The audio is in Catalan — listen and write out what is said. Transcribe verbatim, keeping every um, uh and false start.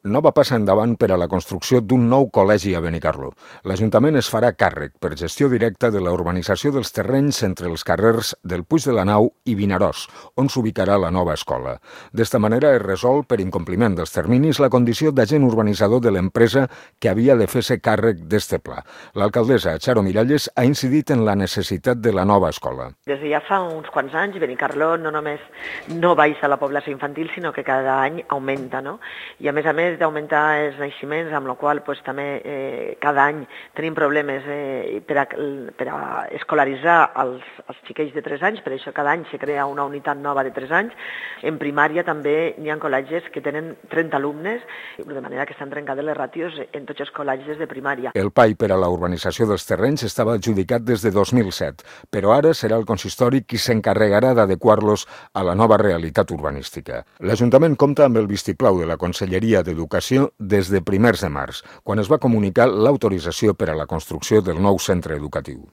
Nova passa endavant per a la construcció d'un nou col·legi a Benicarló. L'Ajuntament es farà càrrec per gestió directa de la urbanització dels terrenys entre els carrers del Puig de la Nau i Vinaròs, on s'ubicarà la nova escola. D'esta manera es resol, per incompliment dels terminis, la condició d'agent urbanitzador de l'empresa que havia de fer-se càrrec d'este pla. L'alcaldessa Charo Miralles ha incidit en la necessitat de la nova escola. Des de ja fa uns quants anys, Benicarló no només no baixa la població infantil, sinó que cada any augmenta, no? I a més a més d'augmentar els naixements, amb la qual pues, també eh, cada any tenim problemes eh, per, a, per a escolaritzar els, els xiquets de tres anys, per això cada any se crea una unitat nova de tres anys. En primària també hi ha col·legis que tenen trenta alumnes, de manera que estan trencades les ràtios en tots els col·legis de primària. El P A I per a la urbanització dels terrenys estava adjudicat des de dos mil set, però ara serà el consistori qui s'encarregarà d'adequar-los a la nova realitat urbanística. L'Ajuntament compta amb el vistiplau de la Conselleria d'Educació des de primers de març, quan es va comunicar l'autorització per a la construcció del nou centre educatiu.